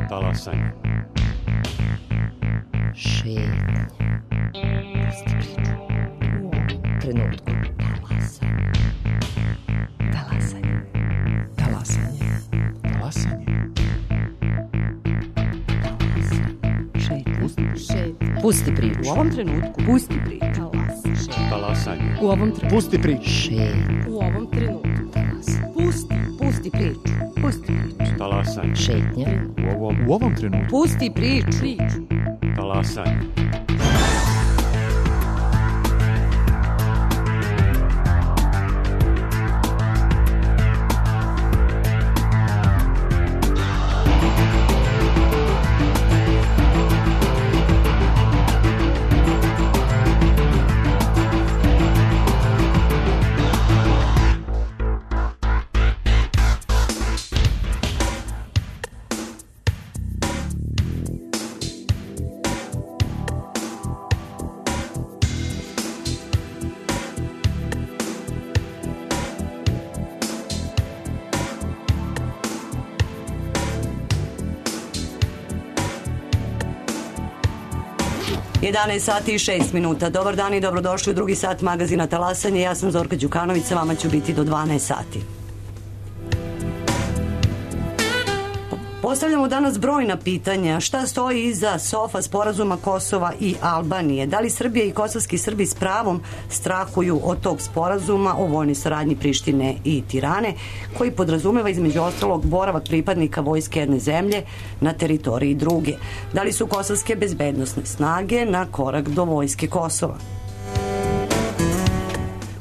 Talasanje. Šetnja. Pusti priču. U ovom trenutku. Talasanje. Talasanje. Talasanje. Šetnja. Pusti priču. U ovom trenutku. Pusti priču. Talasanje. U ovom trenutku. Pusti priču. Šetnja. U ovom trenutku. Pusti priču. Pusti priču. Talasanje. Šetnja. U ovom trenutku. Pusti priču. Talasanje. Sati i 6 minuta. Dobar dan i dobrodošli u drugi sat magazina Talasanje. Ja sam Zorka Đukanović, sa vama ću biti do 12 sati. Postavljamo danas brojna pitanja. Šta stoji iza SOFA sporazuma Kosova i Albanije? Da li Srbija i kosovski Srbi s pravom strahuju od tog sporazuma o vojnoj saradnji Prištine i Tirane, koji podrazumeva između ostalog boravak pripadnika vojske jedne zemlje na teritoriji druge? Da li su kosovske bezbednosne snage na korak do vojske Kosova?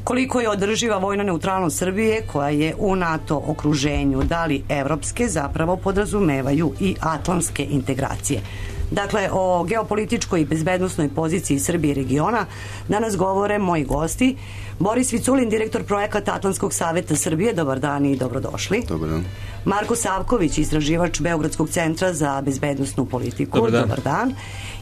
Koliko je održiva vojna neutralnost Srbije koja je u NATO okruženju? Da li evropske zapravo podrazumevaju i atlantske integracije? Dakle, o geopolitičkoj i bezbednosnoj poziciji Srbije i regiona danas govore moji gosti. Boris Viculin, direktor projekata Atlantskog saveta Srbije. Dobar dan i dobrodošli. Dobar dan. Marko Savković, istraživač Beogradskog centra za bezbednosnu politiku. Dobar dan.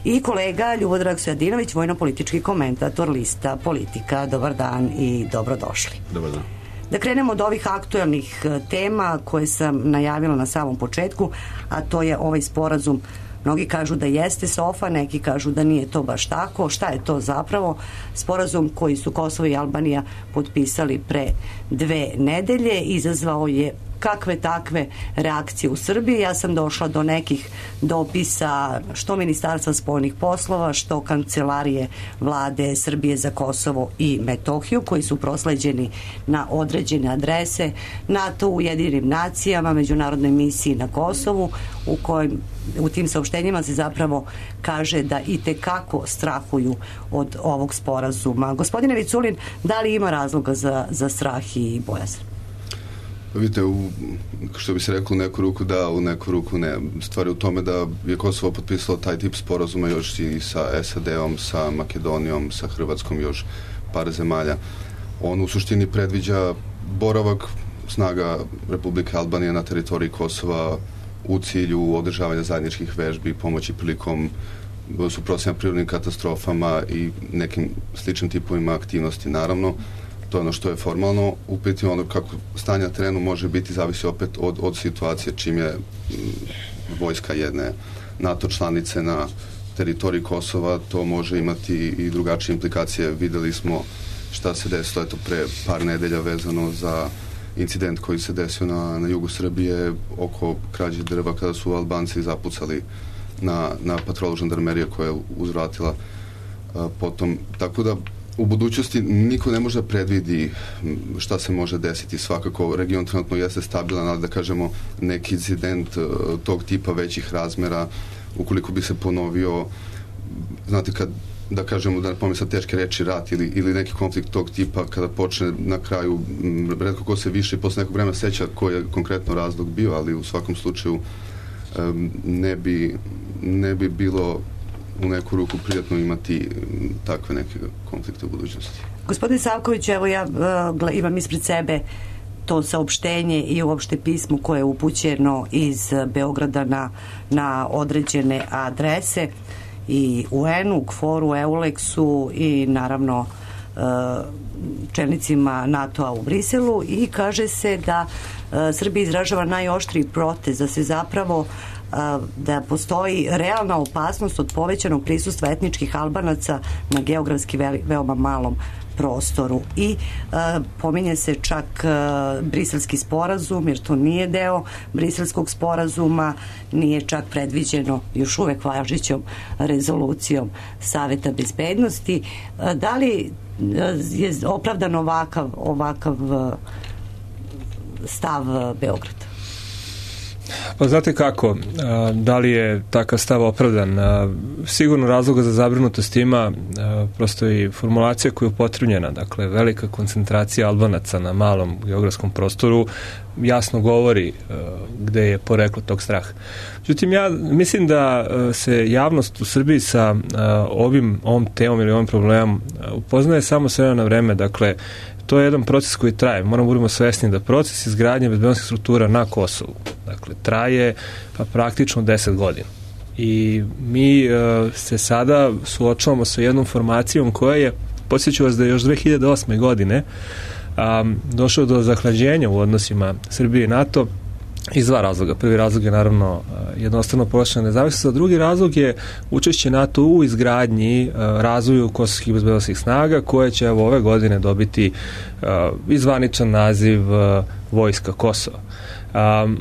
I kolega Ljubodrag Stojadinović, vojno-politički komentator lista Politika. Dobar dan i dobrodošli. Dobar dan. Da krenemo od ovih aktuelnih tema koje sam najavila na samom početku, a to je ovaj sporazum. Mnogi kažu da jeste SOFA, neki kažu da nije to baš tako. Šta je to zapravo? Sporazum koji su Kosovo i Albanija potpisali pre 2 nedelje izazvao je kakve takve reakcije u Srbiji. Ja sam došla do nekih dopisa što Ministarstva spoljnih poslova, što Kancelarije Vlade Srbije za Kosovo i Metohiju, koji su prosleđeni na određene adrese NATO, Ujedinjenim nacijama, međunarodnoj misiji na Kosovu, u tim saopštenjima se zapravo kaže da i tekako strahuju od ovog sporazuma. Gospodine Viculin, da li ima razloga za strah i bojazan? Vidite, što bi se reklo, u neku ruku da, u neku ruku ne. Stvar je u tome da je Kosovo potpisalo taj tip sporazuma još i sa SAD-om, sa Makedonijom, sa Hrvatskom, još par zemalja. On u suštini predviđa boravak snaga Republike Albanije na teritoriji Kosova u cilju održavanja zajedničkih vežbi, pomoći prilikom suprotstavljanja prirodnim katastrofama i nekim sličnim tipovima aktivnosti. Naravno, to je ono što je formalno. U pitanju ono kako stanje na terenu može biti, zavisi opet od situacije, čim je vojska jedne NATO članice na teritoriji Kosova, to može imati i drugačije implikacije. Videli smo šta se desilo pre par nedelja vezano za incident koji se desio na jugu Srbije oko krađe drva kada su Albanci zapucali na patrolu žandarmerije koja je uzvratila potom. Tako da u budućnosti niko ne može da predvidi šta se može desiti. Svakako, region trenutno jeste stabilan, ali da kažemo neki incident tog tipa većih razmera, ukoliko bi se ponovio, znate, kad da kažemo, da ne pomisla teške reči, rat ili neki konflikt tog tipa, kada počne na kraju, retko ko se više i posle nekog vremena seća koji je konkretno razlog bio, ali u svakom slučaju ne bi bilo u neku ruku prijatno imati takve neke konflikte u budućnosti. Gospodin Savković, evo ja imam ispred sebe to saopštenje i uopšte pismo koje je upućeno iz Beograda na određene adrese i UN-u, KFOR-u, EULEX-u i naravno čelnicima NATO-a u Briselu, i kaže se da Srbija izražava najoštriji protest, da se zapravo da postoji realna opasnost od povećanog prisustva etničkih Albanaca na geografski veoma malom prostoru i pominje se čak Briselski sporazum, jer to nije deo Briselskog sporazuma, nije čak predviđeno još uvek važećom rezolucijom Saveta bezbednosti. Da li je opravdan ovakav stav Beograda? Pa znate kako, da li je takav stav opravdan? Sigurno razloga za zabrinutost ima, prosto i formulacija koja je upotrebljena, dakle velika koncentracija Albanaca na malom geografskom prostoru jasno govori gde je poreklo tog straha. Međutim, ja mislim da se javnost u Srbiji sa ovom temom ili ovim problemom upoznaje samo s vremena na vreme, dakle to je jedan proces koji traje. Moramo budemo svesni da proces izgradnje bezbednosnih struktura na Kosovu, dakle, traje pa praktično 10 godina. I mi se sada suočavamo sa jednom formacijom koja je, podsjeću vas da je još 2008. godine došlo do zahlađenja u odnosima Srbije i NATO iz dva razloga. Prvi razlog je naravno jednostavno povećana nezavisnost, a drugi razlog je učešće NATO u izgradnji, razvoju kosovskih bezbednosnih snaga, koje će ove godine dobiti i zvaničan naziv Vojska Kosova.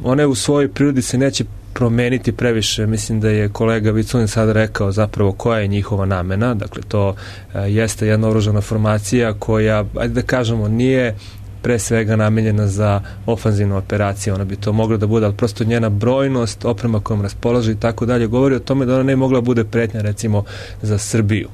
One u svojoj prirodi se neće promeniti previše. Mislim da je kolega Viculin sada rekao zapravo koja je njihova namena. Dakle, to jeste jedna oružana formacija koja, ajde da kažemo, nije pre svega namenjena za ofanzivnu operaciju. Ona bi to mogla da bude, ali prosto njena brojnost, oprema kojom raspolaže i tako dalje, govori o tome da ona ne mogla bude pretnja recimo za Srbiju,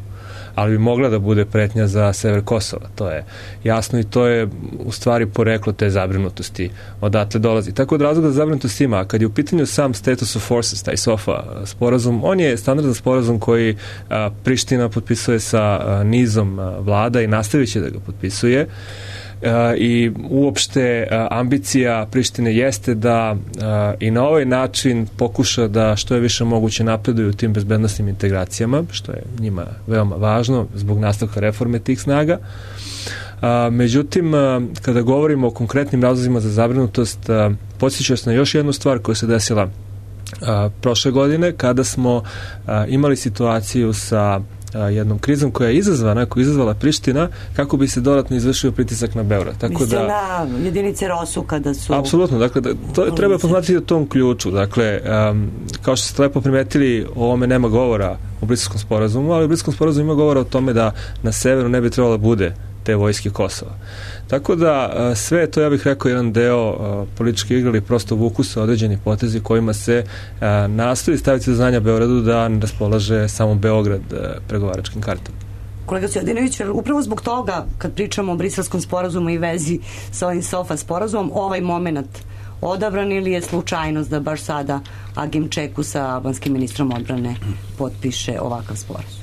ali bi mogla da bude pretnja za sever Kosova. To je jasno i to je u stvari poreklo te zabrinutosti odatle dolazi. Tako da razloga za zabrinutost ima. A kad je u pitanju sam Status of Forces, taj SOFA sporazum, on je standardan sporazum koji Priština potpisuje sa nizom vlada i nastavit će da ga potpisuje. I uopšte ambicija Prištine jeste da i na ovaj način pokuša da što je više moguće napreduju u tim bezbednosnim integracijama, što je njima veoma važno zbog nastavka reforme tih snaga. Međutim, kada govorimo o konkretnim razlozima za zabrinutost, podsjećam se na još jednu stvar koja se desila prošle godine, kada smo imali situaciju sa jednom krizom koja je izazvala Priština kako bi se dodatno izvršio pritisak na Beograd. Tako da na jedinice ROSU kada su... Apsolutno, dakle, to treba posmatrati u tom ključu. Dakle, kao što ste lepo primetili, o ovome nema govora u Briselskom sporazumu, ali u Briselskom sporazumu ima govora o tome da na severu ne bi trebalo da bude te vojske Kosova. Tako da sve to, ja bih rekao, jedan deo političke igre ili prosto vuku se određeni potezi kojima se nastoji staviti do znanja Beogradu da ne raspolaže samo Beograd pregovaračkim kartom. Kolega Stojadinović, upravo zbog toga, kad pričamo o Briselskom sporazumu i vezi sa ovim SOFA sporazumom, ovaj moment odabran ili je slučajnost da baš sada Agim Čeku sa albanskim ministrom odbrane potpiše ovakav sporazum?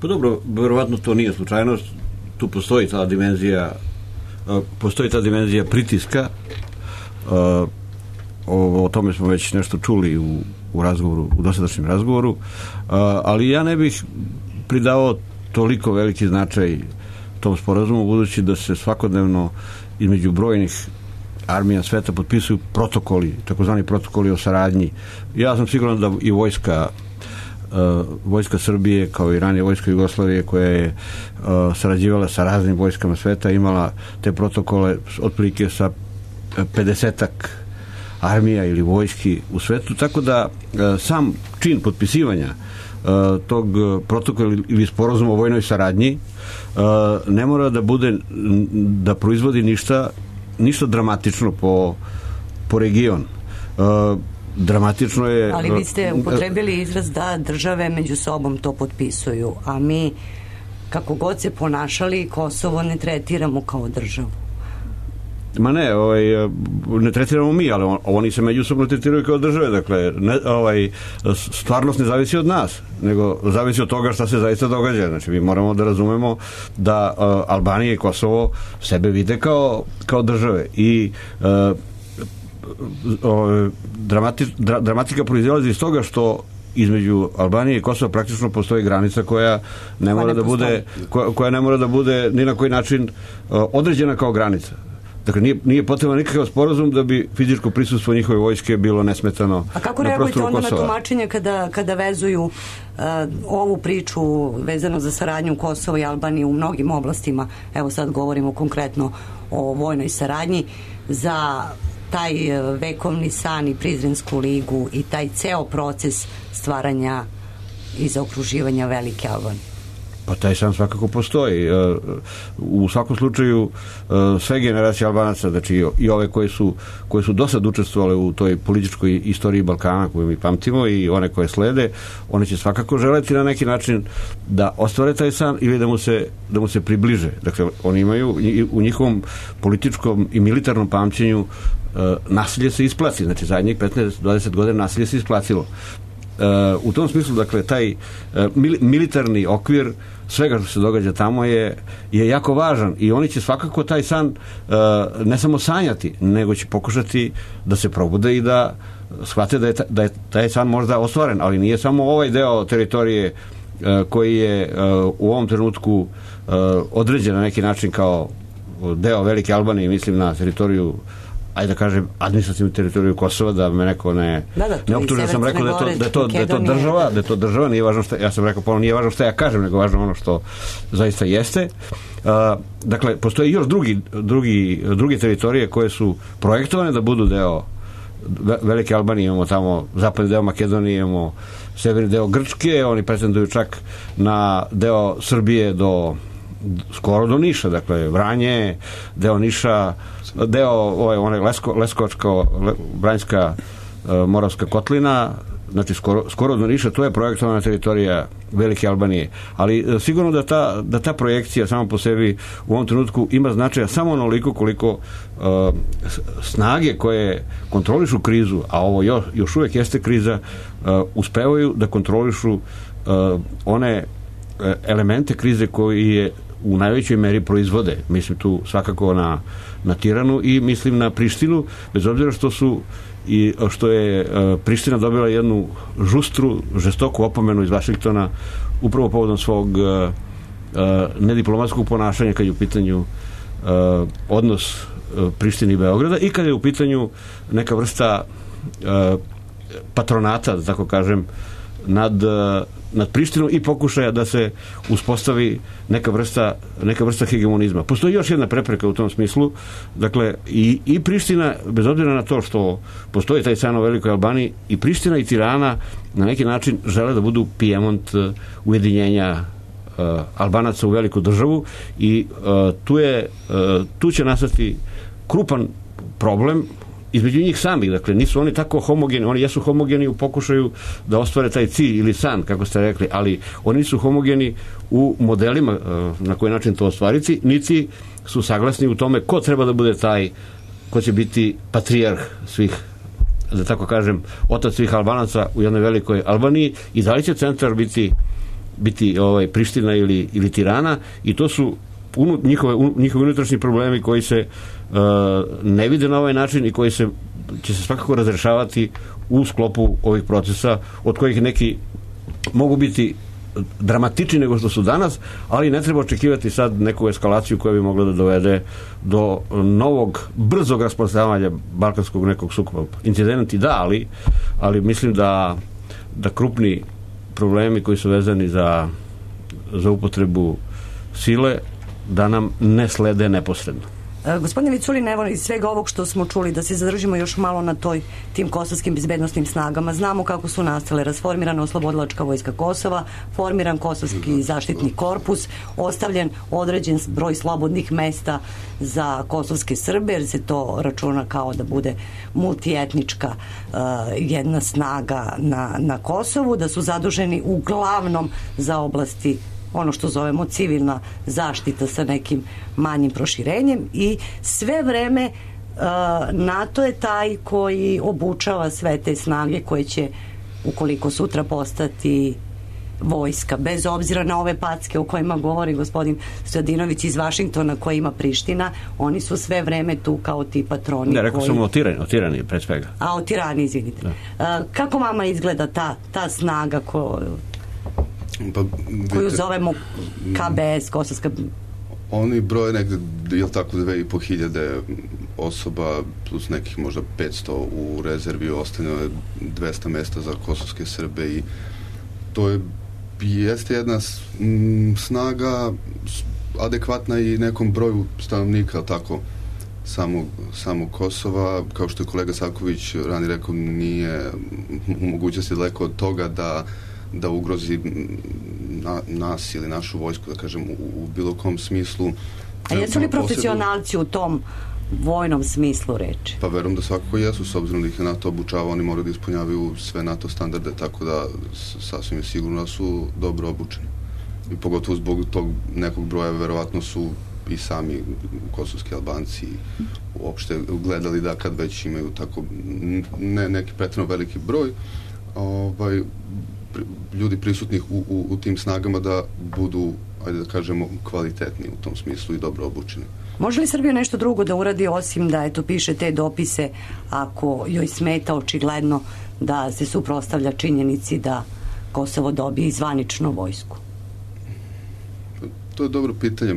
Pa dobro, verovatno to nije slučajnost. Tu postoji ta dimenzija pritiska. O tome smo već nešto čuli u razgovoru, u dosadašnjem razgovoru, ali ja ne bih pridavao toliko veliki značaj tom sporazumu, budući da se svakodnevno između brojnih armija sveta potpisuju protokoli, takozvani protokoli o saradnji. Ja sam siguran da i vojska Srbije, kao i ranije vojska Jugoslavije, koja je sarađivala sa raznim vojskama sveta, imala te protokole otprilike sa 50-ak armija ili vojski u svetu, tako da sam čin potpisivanja tog protokola ili sporazuma o vojnoj saradnji ne mora da bude, da proizvodi ništa dramatično po region. Dramatično je... Ali vi ste upotrebili izraz da države među sobom to potpisuju, a mi, kako god se ponašali, Kosovo ne tretiramo kao državu. Ma ne, ne tretiramo mi, ali oni se međusobno tretiraju kao države, dakle, stvarnost ne zavisi od nas, nego zavisi od toga šta se zaista događa. Znači, mi moramo da razumemo da Albanija i Kosovo sebe vide kao države i dramatika proizilazi iz toga što između Albanije i Kosova praktično postoji granica koja ne mora da bude ni na koji način određena kao granica. Dakle, nije potreban nikakav sporazum da bi fizičko prisustvo njihove vojske bilo nesmetano. A kako na reagujete prostoru onda Kosova? na tumačenje kada vezuju ovu priču vezano za saradnju Kosova i Albanije u mnogim oblastima, evo sad govorimo konkretno o vojnoj saradnji, za taj vekovni san i Prizrensku ligu i taj ceo proces stvaranja i zaokruživanja velike Albanije? Pa taj san svakako postoji. U svakom slučaju sve generacije Albanaca, znači i ove koje su do sad učestvovale u toj političkoj istoriji Balkana koju mi pamtimo i one koje slede, one će svakako želeti na neki način da ostvare taj san ili da mu se približe. Dakle, oni imaju u njihovom političkom i militarnom pamćenju nasilje se isplati. Znači, zadnjih 15-20 godina nasilje se isplatilo. U tom smislu, dakle, taj militarni okvir svega što se događa tamo je jako važan i oni će svakako taj san ne samo sanjati, nego će pokušati da se probude i da shvate da je taj san možda ostvaren, ali nije samo ovaj deo teritorije koji je u ovom trenutku određen na neki način kao deo Velike Albanije, mislim na teritoriju, ajde da kažem, administrativnu teritoriju Kosova, da me neko ne optuži, da sam rekao da je to država, nije važno ja sam rekao, nije važno šta ja kažem, nego važno ono što zaista jeste. Dakle, postoje još drugi teritorije koje su projektovane da budu deo Velike Albanije. Imamo tamo zapadni deo Makedonije, imamo severni deo Grčke, oni pretenduju čak na deo Srbije skoro do Niša, dakle Vranje, deo Niša, deo Leskovačko-Vranjska Moravska kotlina, znači skoro do Niša, to je projektovana teritorija Velike Albanije. Ali sigurno da ta projekcija sama po sebi u ovom trenutku ima značaja samo onoliko koliko snage koje kontrolišu krizu, a ovo još uvijek jeste kriza, uspevaju da kontrolišu one elemente krize koji je u najvećoj meri proizvode. Mislim tu svakako na Tiranu i mislim na Prištinu, bez obzira što je Priština dobila jednu žestoku opomenu iz Vašingtona upravo povodom svog nediplomatskog ponašanja kad je u pitanju odnos Prištine i Beograda i kad je u pitanju neka vrsta patronata, da tako kažem, nad Prištinom i pokušaja da se uspostavi neka vrsta hegemonizma. Postoji još jedna prepreka u tom smislu, dakle i Priština, bez obzira na to što postoji taj san o Velikoj Albaniji, i Priština i Tirana na neki način žele da budu Pijemont ujedinjenja Albanaca u veliku državu i tu će nastati krupan problem između njih samih. Dakle, nisu oni tako homogeni, oni jesu homogeni u pokušaju da ostvare taj cilj ili san, kako ste rekli, ali oni su homogeni u modelima na koji način to ostvariti, niti su saglasni u tome ko treba da bude taj ko će biti patrijarh svih, da tako kažem, otac svih Albanaca u jednoj Velikoj Albaniji i da li će centar biti Priština ili Tirana, i to su njihovi unutrašnji problemi koji se ne vide na ovaj način i koji će se svakako razrešavati u sklopu ovih procesa, od kojih neki mogu biti dramatični nego što su danas, ali ne treba očekivati sad neku eskalaciju koja bi mogla da dovede do novog brzog rasprostranjavanja balkanskog nekog sukoba. Incidenti da, ali mislim da krupni problemi koji su vezani za upotrebu sile da nam ne slede neposredno. Gospodine Viculin, evo iz svega ovog što smo čuli, da se zadržimo još malo na tim kosovskim bezbednostnim snagama. Znamo kako su nastale: rasformirana oslobodilačka vojska Kosova, formiran kosovski zaštitni korpus, ostavljen određen broj slobodnih mesta za kosovske Srbe, jer se to računa kao da bude multietnička jedna snaga na Kosovu, da su zaduženi uglavnom za oblasti ono što zovemo civilna zaštita sa nekim manjim proširenjem, i sve vreme NATO je taj koji obučava sve te snage koje će, ukoliko sutra, postati vojska, bez obzira na ove packe o kojima govori gospodin Stojadinović iz Vašingtona, koje ima Priština. Oni su sve vreme tu kao ti patroni. Ne, rekao sam o Tirani pred svega. A o Tirani, izvinite. Kako vama izgleda ta snaga koju zovemo KBS, Kosovska Oni broje negde, jel tako, 2500 osoba plus nekih možda 500 u rezervi, ostane 200 mesta za kosovske Srbe i to jeste jedna snaga adekvatna i nekom broju stanovnika, tako, samog Kosova. Kao što je kolega Savković ranije rekao, nije u mogućnosti daleko od toga da ugrozi nas ili našu vojsku, da kažem, u bilo kom smislu. A jesu li profesionalci u tom vojnom smislu reči? Pa verujem da svakako jesu, s obzirom da ih je NATO obučava, oni moraju da ispunjavaju sve NATO standarde, tako da sasvim je sigurno da su dobro obučeni. I pogotovo zbog tog nekog broja, verovatno su i sami kosovski Albanci uopšte gledali da kad već imaju tako neki pretredno veliki broj ljudi prisutnih u tim snagama, da budu, ajde da kažemo, kvalitetni u tom smislu i dobro obučeni. Može li Srbija nešto drugo da uradi osim da piše te dopise ako joj smeta očigledno da se suprotstavlja činjenici da Kosovo dobije zvaničnu vojsku? To je dobro pitanje.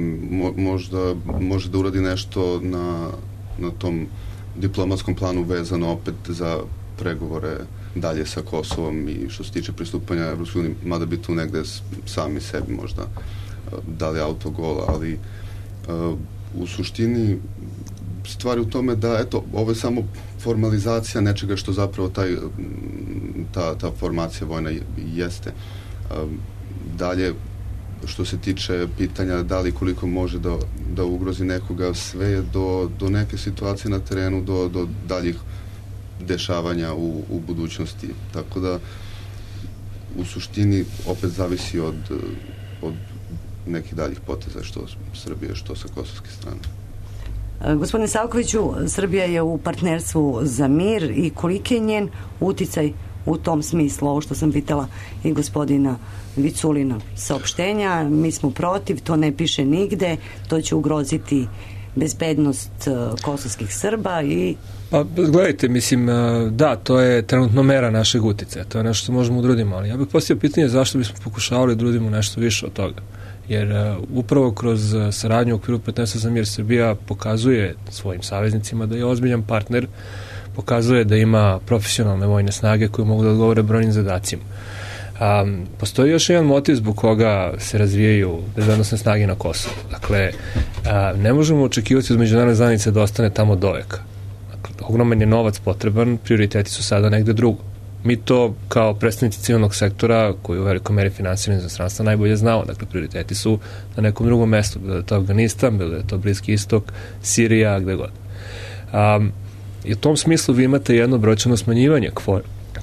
Možda može da uradi nešto na tom diplomatskom planu vezano opet za pregovore dalje sa Kosovom i što se tiče pristupanja Evropskoj uniji, mada bi tu negde sami sebi možda dali autogol, ali u suštini stvari u tome da, eto, ovo je samo formalizacija nečega što zapravo ta formacija vojna jeste. Dalje, što se tiče pitanja da li koliko može da ugrozi nekoga, sve je do neke situacije na terenu, do daljih dešavanja u budućnosti. Tako da u suštini opet zavisi od nekih daljih poteza, što Srbije, što sa kosovske strane. Gospodine Savkoviću, Srbija je u partnerstvu za mir i koliki je njen uticaj u tom smislu? Ovo što sam pitala i gospodina Viculina, saopštenja, mi smo protiv, to ne piše nigde, to će ugroziti bezbednost kosovskih Srba i... Pa, gledajte, mislim, da, to je trenutno mera našeg uticaja, to je nešto što možemo udrudimo, ali ja bih postavio pitanje zašto bismo pokušavali da udrudimo nešto više od toga. Jer upravo kroz saradnju u okviru partnerstva za mir Srbija pokazuje svojim saveznicima da je ozbiljan partner, pokazuje da ima profesionalne vojne snage koje mogu da odgovore brojnim zadacima. Postoji još jedan motiv zbog koga se razvijaju bezbednosne snage na Kosovu. Dakle, ne možemo očekivati od međunarodne zajednice da ostane tamo doveka. Dakle, ogroman je novac potreban, prioriteti su sada negde drugo. Mi to kao predstavnici civilnog sektora, koji u velikoj meri finansirani iz inostranstva, najbolje znamo. Dakle, prioriteti su na nekom drugom mestu, bilo da je to Afganistan, bilo da je to Bliski istok, Sirija, gde god. I u tom smislu vi imate jedno brojčano smanjivanje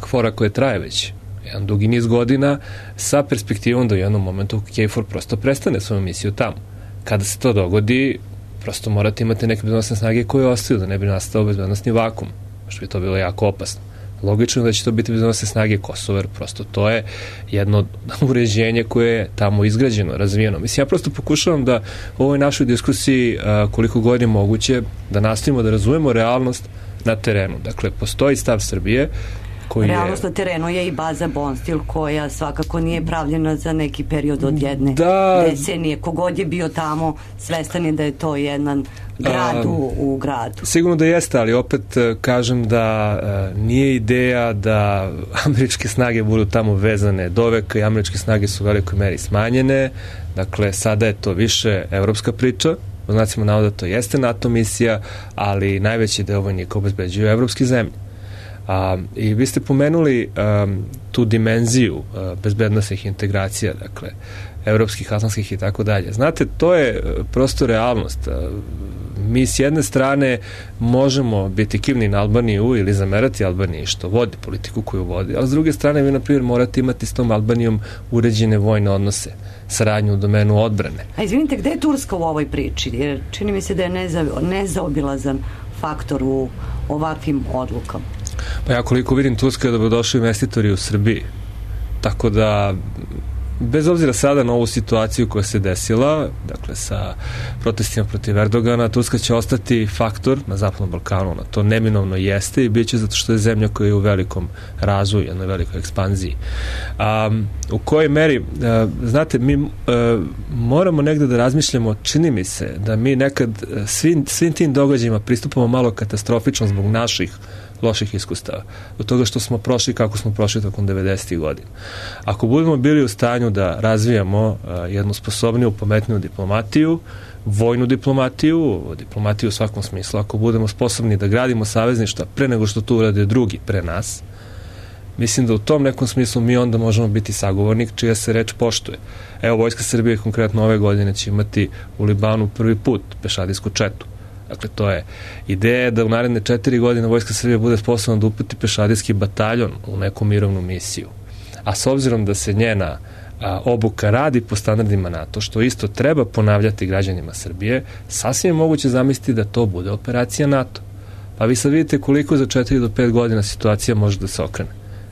KFOR-a koje traje već jedan dugi niz godina, sa perspektivom da u jednom momentu KFOR prosto prestane svoju misiju tamo. Kada se to dogodi, prosto morate imati neke bezbednosne snage koje ostaju, da ne bi nastao bezbednosni vakum, što bi to bilo jako opasno. Logično da će to biti bezbednosne snage Kosova, jer prosto to je jedno uređenje koje je tamo izgrađeno, razvijeno. Mislim, ja prosto pokušavam da u ovoj našoj diskusiji koliko god je moguće da nastavimo da razumemo realnost na terenu. Dakle, postoji stav Srbije koji realnost na terenu je i baza Bonstil, koja svakako nije pravljena za neki period od jedne decenije. Kogod je bio tamo, svestan je da je to jedan grad u gradu. Sigurno da jeste, ali opet kažem da nije ideja da američke snage budu tamo vezane doveka i američke snage su u velikoj meri smanjene. Dakle, sada je to više evropska priča. Po znacima navoda to jeste NATO misija, ali najveći deo vojnika obezbeđuju evropske zemlje. I vi ste pomenuli tu dimenziju bezbednosnih integracija, dakle, evropskih, atlantskih i tako dalje. Znate, to je prosto realnost. Mi s jedne strane možemo biti kivni na Albaniju ili zamerati Albaniji što vodi politiku koju vodi, ali s druge strane vi, na primjer, morate imati s tom Albanijom uređene vojne odnose, saradnju u domenu odbrane. A izvinite, gde je Turska u ovoj priči? Jer čini mi se da je nezaobilazan faktor u ovakvim odlukama. Pa ja koliko vidim, Turska je dobrodošli investitori u Srbiji. Tako da bez obzira sada na ovu situaciju koja se desila, dakle sa protestima protiv Erdogana, Turska će ostati faktor na Zapadnom Balkanu, na to neminovno jeste i bit će zato što je zemlja koja je u velikom razvoju, jednoj velikoj ekspanziji. U kojoj meri, znate, mi moramo negde da razmišljamo, čini mi se da mi nekad svim tim događajima pristupamo malo katastrofično zbog naših loših iskustava. Od toga što smo prošli kako smo prošli tokom 90. godina. Ako budemo bili u stanju da razvijamo jednu sposobniju, pametniju diplomatiju, vojnu diplomatiju u svakom smislu, ako budemo sposobni da gradimo savezništva pre nego što to urade drugi pre nas, mislim da u tom nekom smislu mi onda možemo biti sagovornik čija se reč poštuje. Evo, Vojska Srbije konkretno ove godine će imati u Libanu prvi put pešadijsku četu. Dakle, to je ideja da u naredne 4 godine Vojska Srbije bude sposobna da uputi pešadijski bataljon u neku mirovnu misiju. A s obzirom da se njena obuka radi po standardima NATO, što isto treba ponavljati građanima Srbije, sasvim je moguće zamisliti da to bude operacija NATO. Pa vi sad vidite koliko za 4 do 5 godina situacija može da se okrene.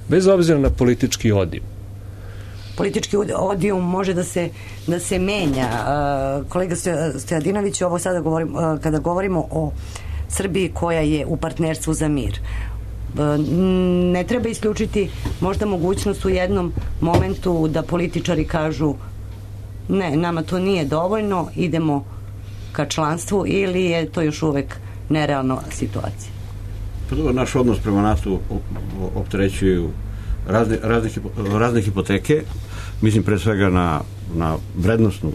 Bez obzira na politički odijum. Politički odijum može da se menja. Kolega Stojadinović, ovo sada kada govorimo o Srbiji koja je u partnerstvu za mir, ne treba isključiti možda mogućnost u jednom momentu da političari kažu ne, nama to nije dovoljno, idemo ka članstvu, ili je to još uvek nerealna situacija? Pa dobro, naš odnos prema NATO opterećuju razne hipoteke. Mislim pre svega na vrednostnu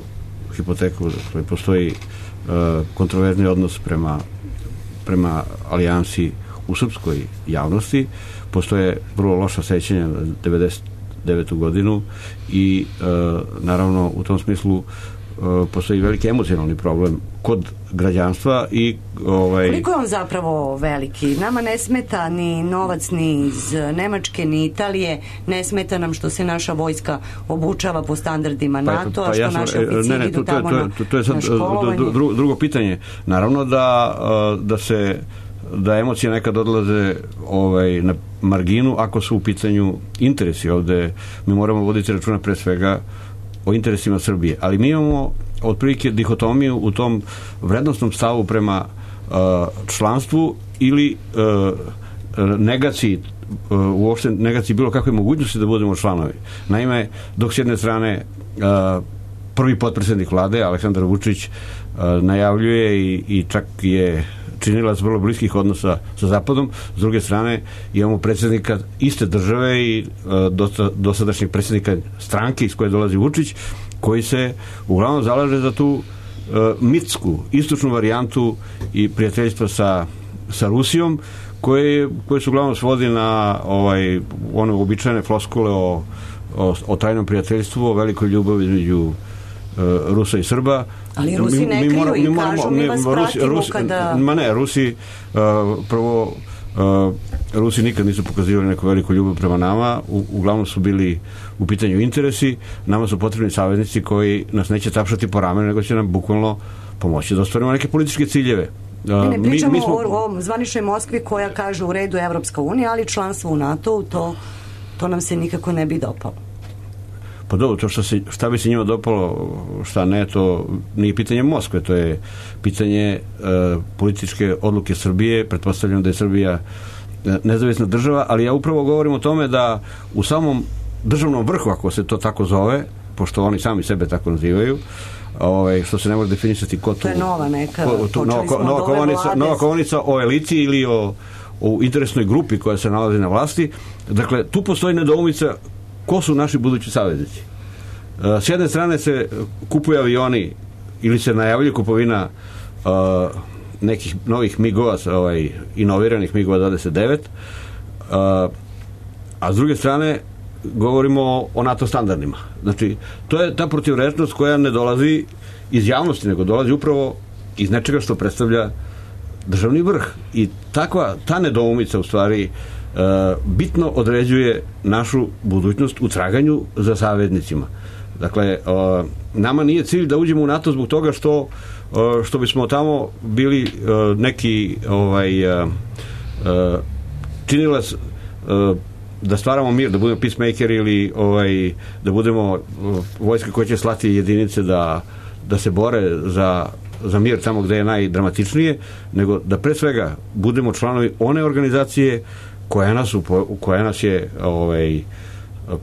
hipoteku, dakle postoji kontroverzni odnos prema alijansi u srpskoj javnosti, postoje vrlo loša sećanja na 99. godinu i naravno u tom smislu postoji veliki emocionalni problem kod građanstva i koliko je on zapravo veliki? Nama ne smeta ni novac ni iz Nemačke ni Italije, ne smeta nam što se naša vojska obučava po standardima NATO, a što naši oficiri idu tamo na školovanje. Drugo pitanje, naravno da emocije nekad odlaze na marginu ako su u pitanju interesi. Ovde mi moramo voditi računa pre svega o interesima Srbije, ali mi imamo otprilike dihotomiju u tom vrednostnom stavu prema članstvu ili negaciji, uopšte negaciji bilo kakve mogućnosti da budemo članovi. Naime, dok s jedne strane prvi potpredsednik vlade Aleksandar Vučić najavljuje i čak je činilac vrlo bliskih odnosa sa Zapadom, s druge strane imamo predsjednika iste države i dosadašnjeg predsjednika stranke iz koje dolazi Vučić, koji se uglavnom zalaže za tu mitsku, istočnu varijantu i prijateljstva sa Rusijom, koje se uglavnom svodi na one običajne floskule o tajnom prijateljstvu, o velikoj ljubavi između Rusa i Srba. Ali Rusi ne kriju i kažu mi vas pratimo kada... Rusi prvo Rusi nikad nisu pokazivali neku veliku ljubav prema nama, uglavnom su bili u pitanju interesi, nama su potrebni saveznici koji nas neće tapšati po ramenu, nego će nam bukvalno pomoći da ostvarimo neke političke ciljeve. Ne pričamo o zvaničnoj Moskvi koja kaže u redu Evropska unija, ali članstvo u NATO, to nam se nikako ne bi dopalo. Pa dobro, to šta bi se njima dopalo, šta ne, to nije pitanje Moskve, to je pitanje političke odluke Srbije. Pretpostavljam da je Srbija nezavisna država, ali ja upravo govorim o tome da u samom državnom vrhu, ako se to tako zove, pošto oni sami sebe tako nazivaju, što se ne može definisati ko tu... To je nova neka, nova kovanica o eliti ili o interesnoj grupi koja se nalazi na vlasti. Dakle, tu postoji nedoumica ko su naši budući saveznici. S jedne strane se kupuju avioni ili se najavljuje kupovina nekih novih MIG-ova, inoviranih MIG-ova 29, a s druge strane govorimo o NATO standardima. Znači, to je ta protivrečnost koja ne dolazi iz javnosti, nego dolazi upravo iz nečega što predstavlja državni vrh. I ta nedoumica u stvari bitno određuje našu budućnost u traganju za saveznicima. Dakle, nama nije cilj da uđemo u NATO zbog toga što bismo tamo bili neki činilac da stvaramo mir, da budemo peacemakeri ili da budemo vojske koje će slati jedinice da se bore za mir tamo gde je najdramatičnije, nego da pre svega budemo članovi one organizacije koja nas je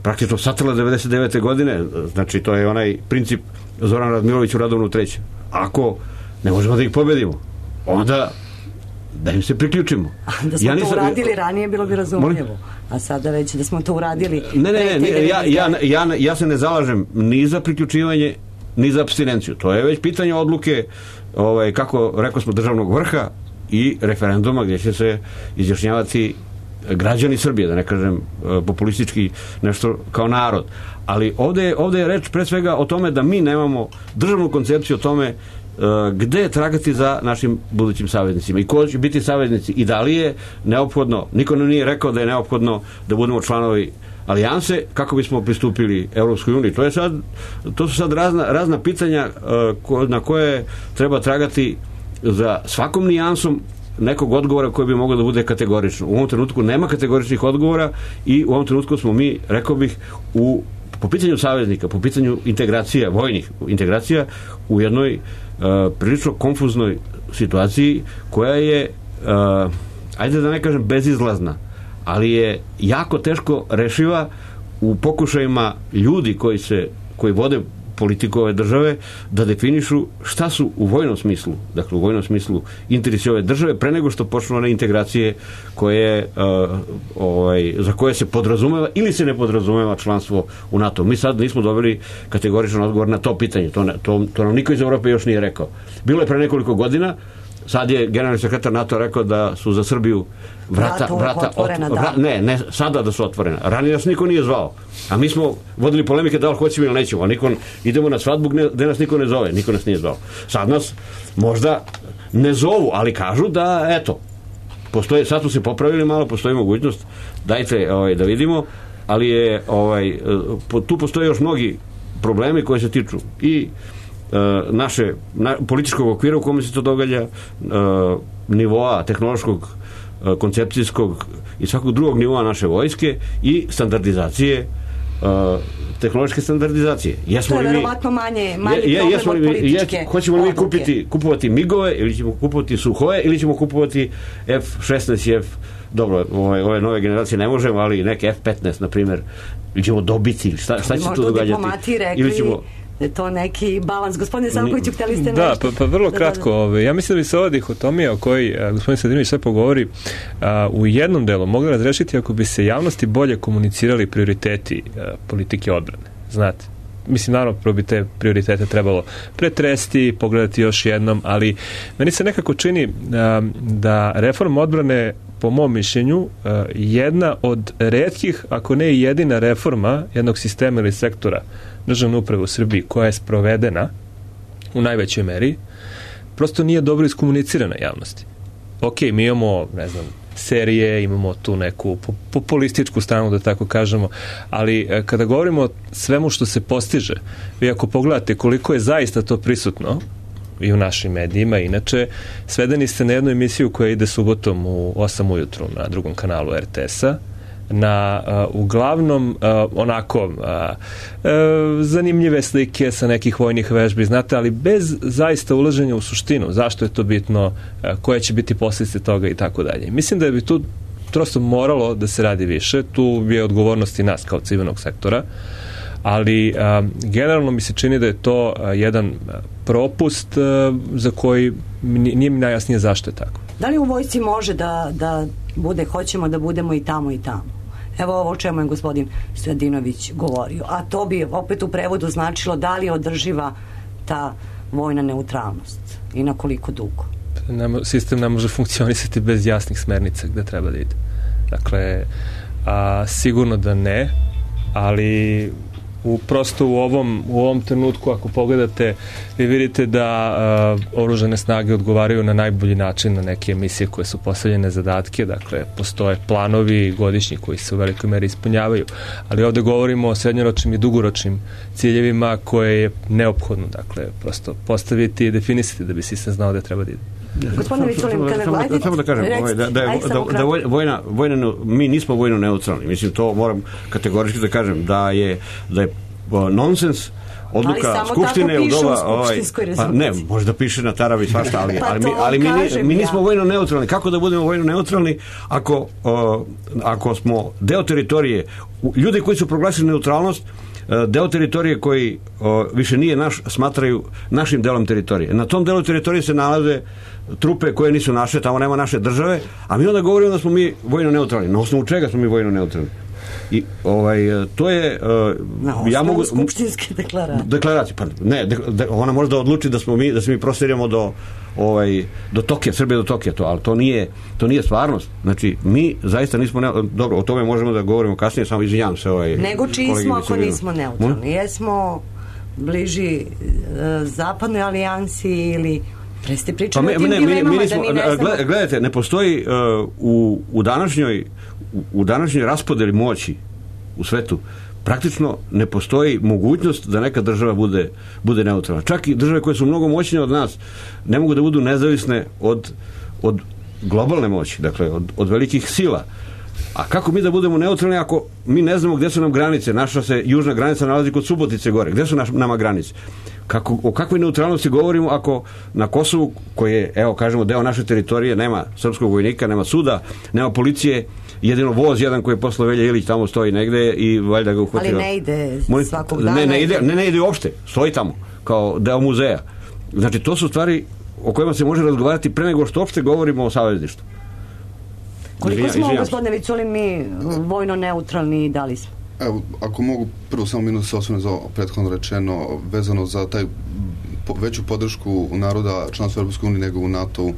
praktično satrla 99. godine. Znači, to je onaj princip Zoran Radmilović u Radovnu 3. Ako ne možemo da ih pobedimo, onda da im se priključimo. Da smo to uradili ranije, bilo bi razumljivo. A sada već da smo to uradili... Ja se ne zalažem ni za priključivanje, ni za apstinenciju. To je već pitanje odluke, kako rekao smo, državnog vrha i referenduma gdje će se izjašnjavati građani Srbije, da ne kažem populistički nešto kao narod. Ali ovde je reč pre svega o tome da mi nemamo državnu koncepciju o tome gde tragati za našim budućim saveznicima i ko će biti saveznici i da li je neophodno, niko nam nije rekao da je neophodno da budemo članovi alijanse kako bismo pristupili Evropskoj uniji. To su sad razna pitanja na koje treba tragati za svakom nijansom nekog odgovora koji bi mogao da bude kategorično. U ovom trenutku nema kategoričnih odgovora i u ovom trenutku smo mi, rekao bih, po pitanju saveznika, po pitanju integracija, vojnih integracija, u jednoj prilično konfuznoj situaciji koja je, ajde da ne kažem bezizlazna, ali je jako teško rešiva u pokušajima ljudi koji vode politiku ove države da definišu šta su u vojnom smislu, dakle u vojnom smislu interesi ove države pre nego što počnu one integracije za koje se podrazumeva ili se ne podrazumeva članstvo u NATO. Mi sad nismo dobili kategoričan odgovor na to pitanje. To nam niko iz Evrope još nije rekao. Bilo je pre nekoliko godina, sad je generalni sekretar NATO rekao da su za Srbiju vrata otvorena. Ne, sada da su otvorena. Ranije nas niko nije zvao. A mi smo vodili polemike da li hoćemo ili nećemo. Idemo na svadbu gde nas niko ne zove. Niko nas nije zvao. Sad nas možda ne zovu, ali kažu da, eto, postoje, sad su se popravili malo, postoji mogućnost, dajte da vidimo, ali je tu postoje još mnogi problemi koji se tiču i političkog okvira u kome se to događa, nivoa tehnološkog, koncepcijskog i svakog drugog nivoa naše vojske i standardizacije, tehnološke standardizacije. To je verovatno manji problem od političke hoćemo li mi kupovati migove ili ćemo kupovati suhoje ili ćemo kupovati F-16 i F, dobro, ove nove generacije ne možemo, ali neke F-15 na primjer, ili ćemo dobiti, šta će to događati? Ili ćemo je to neki balans. Gospodine Savkoviću, htjeli ste nešto? Da, pa vrlo kratko. Ja mislim da bi se ova dihotomija o kojoj gospodin Sadinović sve pogovori u jednom delu mogla razrešiti ako bi se javnosti bolje komunicirali prioriteti politike odbrane. Znate, mislim, naravno, prvo bi te prioritete trebalo pretresti, pogledati još jednom, ali meni se nekako čini da reforma odbrane, po mom mišljenju, jedna od retkih, ako ne i jedina reforma jednog sistema ili sektora državne uprave u Srbiji koja je sprovedena u najvećoj meri, prosto nije dobro iskomunicirana javnosti. Ok, mi imamo, ne znam, serije, imamo tu neku populističku stranu, da tako kažemo, ali kada govorimo o svemu što se postiže, vi ako pogledate koliko je zaista to prisutno i u našim medijima, inače, svedeni ste na jednu emisiju koja ide subotom u 8 ujutru na drugom kanalu RTS-a, na uglavnom onako zanimljive slike sa nekih vojnih vežbi, znate, ali bez zaista ulaženja u suštinu, zašto je to bitno, koje će biti posljedice toga i tako dalje. Mislim da bi tu prosto moralo da se radi više, tu je odgovornost i nas kao civilnog sektora, ali generalno mi se čini da je to jedan propust za koji nije mi najjasnije zašto je tako. Da li u vojsci može da bude, hoćemo da budemo i tamo i tamo? Evo ovo o čemu je gospodin Sadinović govorio. A to bi opet u prevodu značilo da li je održiva ta vojna neutralnost i na koliko dugo? Sistem ne može funkcionisati bez jasnih smernica gde treba da ide. Dakle, sigurno da ne, ali prosto u ovom trenutku, ako pogledate, vi vidite da oružane snage odgovaraju na najbolji način na neke emisije koje su postavljene zadatke, dakle, postoje planovi godišnji koji se u velikoj meri ispunjavaju, ali ovde govorimo o srednjoročnim i dugoročnim ciljevima koje je neophodno, dakle, prosto postaviti i definisati da bi sistem znao da treba da ide. Gospodine Viculin, kada gledate... Samo da kažem, mi nismo vojno neutralni. Mislim, to moram kategorički da kažem, da je nonsens odluka Skupštine u doba... Pa ne, može da piše na taravi svašta, ali mi nismo vojno neutralni. Kako da budemo vojno neutralni ako smo deo teritorije, ljudi koji su proglasili neutralnost, deo teritorije koji više nije naš, smatraju našim delom teritorije. Na tom delu teritorije se nalaze trupe koje nisu naše, tamo nema naše države, a mi onda govorimo da smo mi vojno neutralni. Na osnovu čega smo mi vojno neutralni? I to je ja mogu skupštinske deklaracije. Pa ne, ona može da odluči da se mi prostiramo do Tokija, Srbije do Tokija, ali to nije stvarnost. Znači, mi zaista nismo dobro, o tome možemo da govorimo kasnije, samo izvinjavam se nego čiji smo ako nismo neutralni? Jesmo bliži zapadnoj alijansi ili preste pričamo o tim dilemama da mi ne znamo? Gledajte, ne postoji u današnjoj raspodeli moći u svetu praktično ne postoji mogućnost da neka država bude neutralna. Čak i države koje su mnogo moćnije od nas ne mogu da budu nezavisne od globalne moći, dakle od velikih sila. A kako mi da budemo neutralni ako mi ne znamo gde su nam granice? Naša se južna granica nalazi kod Subotice gore. Gde su nama granice? O kakvoj neutralnosti govorimo ako na Kosovu, koji je, evo kažemo, deo naše teritorije, nema srpskog vojnika, nema suda, nema policije, jedino voz jedan koji je poslao Velja Ilić tamo stoji negde i valjda ga uhvatio. Ali ne ide svakog dana. Ne ide uopšte, stoji tamo kao deo muzeja. Znači, to su stvari o kojima se može razgovarati pre nego što uopšte govorimo o savezništvu. Koliko smo, gospodine Viculin, mi vojno neutralni i da li smo? Evo, ako mogu prvo samo minut se osvrnuti za prethodno rečeno, vezano za taj veću podršku naroda članstva Europske unije nego u NATO-u,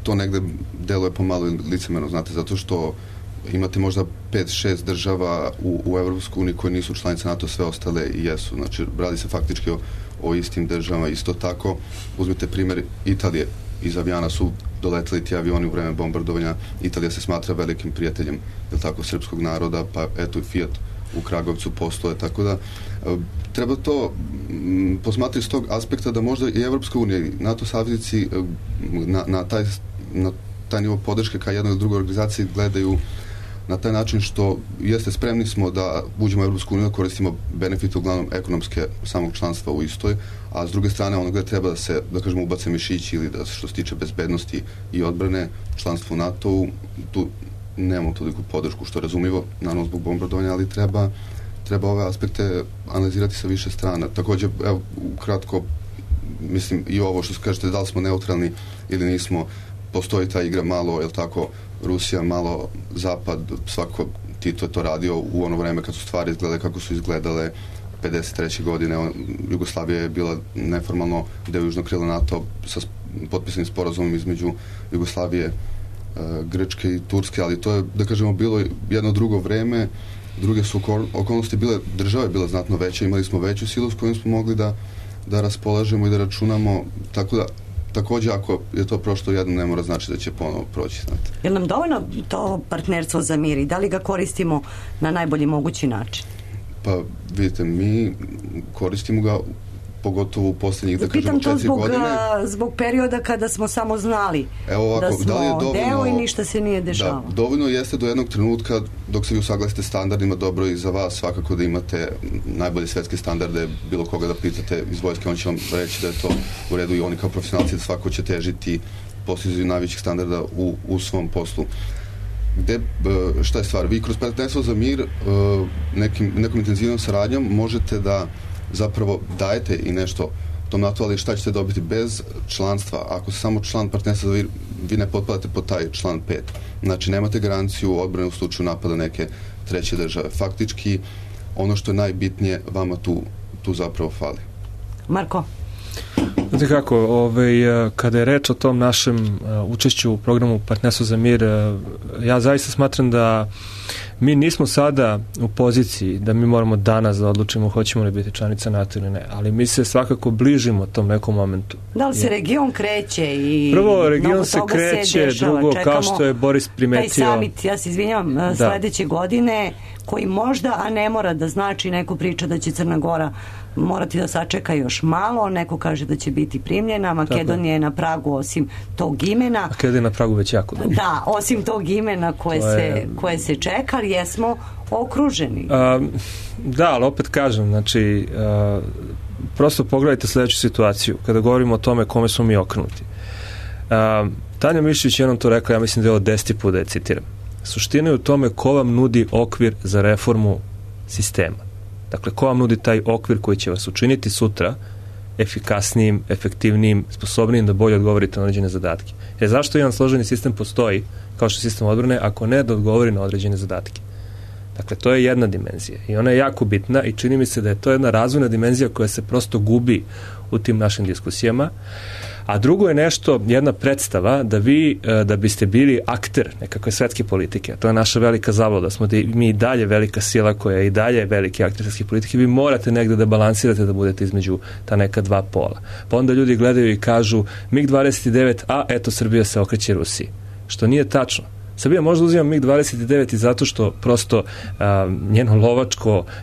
to negde deluje pomalo licemerno, znate, zato što imate možda 5-6 država u Europskoj uniji koje nisu članice NATO, sve ostale i jesu. Znači, radi se faktički o istim državama. Isto tako, uzmite primjer Italije. Iz avijana su doleteli ti avioni u vreme bombardovanja. Italija se smatra velikim prijateljem, je tako, srpskog naroda, pa eto i Fiat u Kragovcu postoje, tako da treba to posmatrati s tog aspekta da možda i Evropska unija i NATO saveznici na taj nivo podrške ka jednoj ili drugoj organizaciji gledaju na taj način što jeste spremni smo da uđemo u Evropsku uniju, da koristimo benefite uglavnom ekonomske samog članstva u istoj, a s druge strane ono gde treba da se, da kažemo, ubace mišići ili da što se tiče bezbednosti i odbrane, članstvo u NATO-u, tu nemamo toliku podršku, što je razumljivo, naravno zbog bombardovanja, ali treba ove aspekte analizirati sa više strana. Također, evo, ukratko, mislim, i ovo što kažete, da li smo neutralni ili nismo, postoji ta igra malo, jel tako, Rusija, malo Zapad, svako Tito je to radio u ono vreme kad su stvari izgledale kako su izgledale 53. godine. Jugoslavija je bila neformalno deo južnog krila NATO sa potpisanim sporazumom između Jugoslavije, Grčke i Turske, ali to je, da kažemo, bilo jedno drugo vreme, druge su okolnosti bile, država je bila znatno veća, imali smo veću silu s kojom smo mogli da raspolažemo i da računamo, tako da također ako je to prošlo jedno, ne mora znači da će ponovo proći, znate. Je li nam dovoljno to partnerstvo za mir i da li ga koristimo na najbolji mogući način? Pa vidite, mi koristimo ga pogotovo u posljednjih, da kažemo, 4 godine. Zbog perioda kada smo samo znali da smo deo i ništa se nije dešavalo. Da, dovoljno jeste do jednog trenutka dok se vi usaglasite standardima, dobro i za vas svakako da imate najbolje svetske standarde, bilo koga da pitate iz vojske, on će vam reći da je to u redu i oni kao profesionalci da svako će težiti postizanju najvećih standarda u svom poslu. Šta je stvar? Vi kroz partnerstvo za mir nekom intenzivnom saradnjom možete da zapravo dajete i nešto tom NATO, ali šta ćete dobiti bez članstva? Ako se samo član partnerstva, vi ne potpadate pod taj član 5. Znači, nemate garanciju odbrane u slučaju napada neke treće države. Faktički, ono što je najbitnije, vama tu zapravo fali. Marko? Znate kako, kada je reč o tom našem učešću u programu Partnerstvo za mir, ja zaista smatram da mi nismo sada u poziciji da mi moramo danas da odlučimo hoćemo li biti članica NATO ili ne, ali mi se svakako bližimo tom nekom momentu. Da li se region kreće i prvo region se kreće, drugo, kao što je Boris primetio, taj summit, ja se izvinjam, sledeće godine, koji možda, a ne mora da znači, neko priča da će Crna Gora morati da sačeka još malo, neko kaže da će biti primljena, Makedonija je na pragu osim tog imena. Makedonija je na pragu već jako dobro. Da, osim tog imena koje se čeka, ali jesmo okruženi. Da, ali opet kažem, znači prosto pogledajte sljedeću situaciju kada govorimo o tome kome smo mi okrenuti. Tanja Mišćević jednom to rekla, ja mislim da je ovo 10. put da je citiram. Suština je u tome ko vam nudi okvir za reformu sistema. Dakle, ko vam nudi taj okvir koji će vas učiniti sutra efikasnijim, efektivnijim, sposobnijim da bolje odgovorite na određene zadatke. Jer zašto jedan složeni sistem postoji, kao što je sistem odbrane, ako ne da odgovori na određene zadatke? Dakle, to je jedna dimenzija i ona je jako bitna i čini mi se da je to jedna razvojna dimenzija koja se prosto gubi u tim našim diskusijama. A drugo je nešto, jedna predstava da vi, da biste bili akter nekakve svetske politike, to je naša velika zabluda, smo mi i dalje velika sila koja je i dalje veliki akter svetske politike, vi morate negde da balansirate da budete između ta neka dva pola. Pa onda ljudi gledaju i kažu MiG-29, a eto Srbija se okreće Rusiji. Što nije tačno. Srbija možda uzima MiG-29 i zato što prosto njena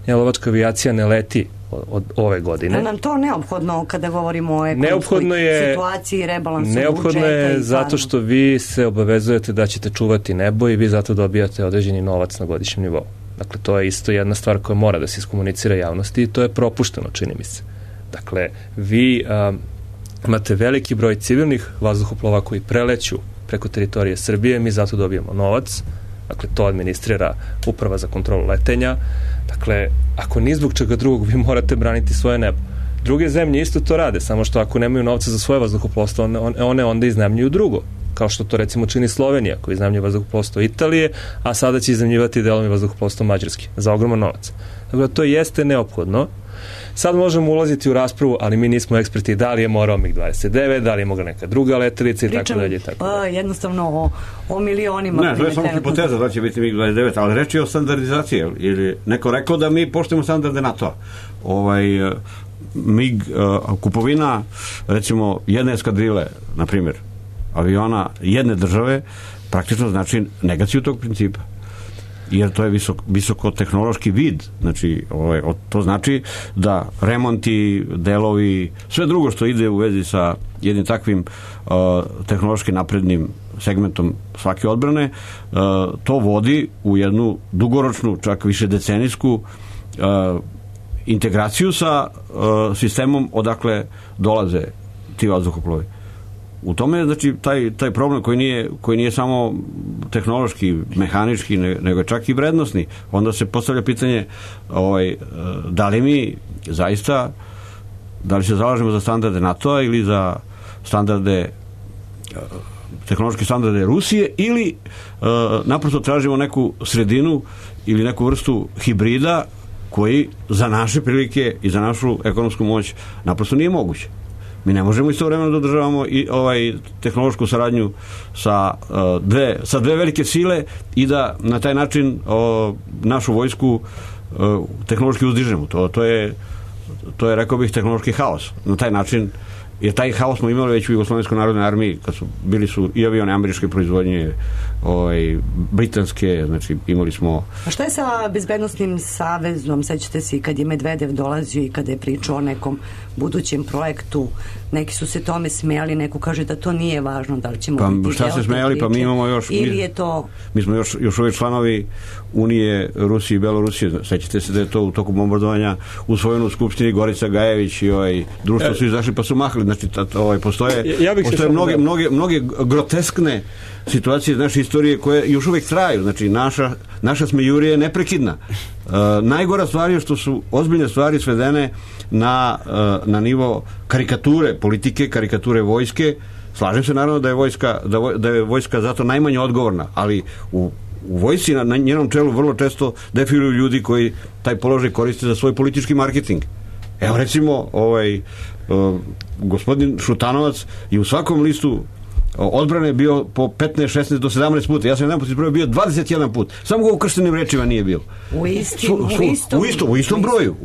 lovačka avijacija ne leti od ove godine. Je nam to neophodno kada govorimo o ekonomskoj situaciji, rebalansu budžeta? Neophodno je zato što vi se obavezujete da ćete čuvati nebo i vi zato dobijate određeni novac na godišnjem nivou. Dakle, to je isto jedna stvar koja mora da se iskomunicira javnosti i to je propušteno, čini mi se. Dakle, vi imate veliki broj civilnih vazduhoplova koji preleću preko teritorije Srbije, mi zato dobijamo novac, dakle to administrira Uprava za kontrolu letenja, dakle ako ni zbog čega drugog vi morate braniti svoje nebo. Druge zemlje isto to rade, samo što ako nemaju novca za svoje vazduhoplovstvo, one onda iznajmljuju drugo, kao što to recimo čini Slovenija, koja iznajmljuje vazduhoplovstvo Italije, a sada će iznajmljivati delom i vazduhoplovstvo Mađarske, za ogroman novac. Dakle, to jeste neophodno. Sad možemo ulaziti u raspravu, ali mi nismo eksperti da li je morao MiG-29, da li je mogla neka druga letelica i tako dalje. Jednostavno o milionima. Ne, to je samo hipoteza da će biti MiG-29, ali reč je o standardizaciji. Ili neko rekao da mi poštujemo standarde NATO-a. Kupovina, recimo, jedne eskadrile, na primjer, aviona jedne države, praktično znači negaciju tog principa. Jer to je visokotehnološki vid. Znači, to znači da remonti, delovi, sve drugo što ide u vezi sa jednim takvim tehnološki naprednim segmentom svake odbrane, to vodi u jednu dugoročnu, čak više decenijsku integraciju sa sistemom odakle dolaze ti vazduhoplovi. U tome je, znači, taj problem koji nije samo tehnološki, mehanički, nego je čak i vrednosni. Onda se postavlja pitanje da li mi zaista, da li se zalažemo za standarde NATO-a ili za tehnološke standarde Rusije ili naprosto tražimo neku sredinu ili neku vrstu hibrida koji za naše prilike i za našu ekonomsku moć naprosto nije moguće. Mi ne možemo istovremeno da održavamo i tehnološku saradnju sa dve velike sile i da na taj način našu vojsku tehnološki uzdižemo. To je, rekao bih, tehnološki haos. Na taj način, jer taj haos smo imali već u Jugoslovenskoj narodnoj armiji, kad bili su i avione američke proizvodnje, britanske, znači imali smo... A što je sa bezbednostnim savezom? Sećate se i kad je Medvedev dolazio i kada je pričao o nekom budućem projektu, neki su se tome smijali, neko kaže da to nije važno, da li ćemo biti... Pa šta se smijali? Pa mi imamo još... Ili je to... Mi smo još uvijek članovi Unije Rusije i Belorusije. Sećate se da je to u toku bombardovanja usvojeno u Skupštini, Gorica Gajević i društvo su izašli pa su mahali. Znači, postoje mnoge groteskne situacije iz naše istorije koje još uvijek traju. Znači, naša smejurija je neprekidna. Najgora stvar je što su ozbiljne stvari svedene na nivo karikature politike, karikature vojske. Slažem se naravno da je vojska zato najmanje odgovorna, ali u vojsci na njenom čelu vrlo često defiluju ljudi koji taj položaj koriste za svoj politički marketing. Evo recimo gospodin Šutanovac je u svakom listu odbrane bio po 15, 16 do 17 puta. Ja sam jedan put izbrojio bio 21 put. Samo ga u krštenim rečima nije bilo. U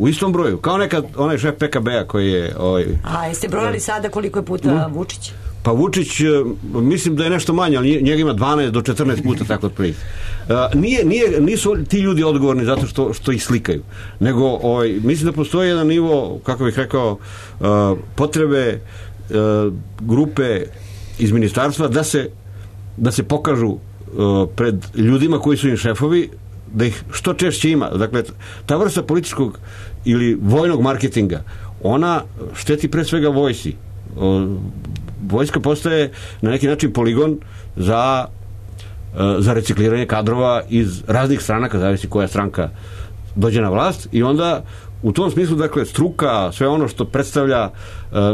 istom broju. Kao nekad onaj šef PKB-a koji je... A jeste brojali sada koliko je puta Vučić? Pa Vučić, mislim da je nešto manje, ali njega ima 12 do 14 puta tako otprilike. Nisu ti ljudi odgovorni zato što ih slikaju, nego mislim da postoji jedan nivo, kako bih rekao, potrebe grupe iz ministarstva da se pokažu pred ljudima koji su im šefovi, da ih što češće ima. Dakle, ta vrsta političkog ili vojnog marketinga, ona šteti pre svega vojsci. Vojska postaje na neki način poligon za recikliranje kadrova iz raznih stranaka, zavisi koja stranka dođe na vlast, i onda u tom smislu, dakle, struka, sve ono što predstavlja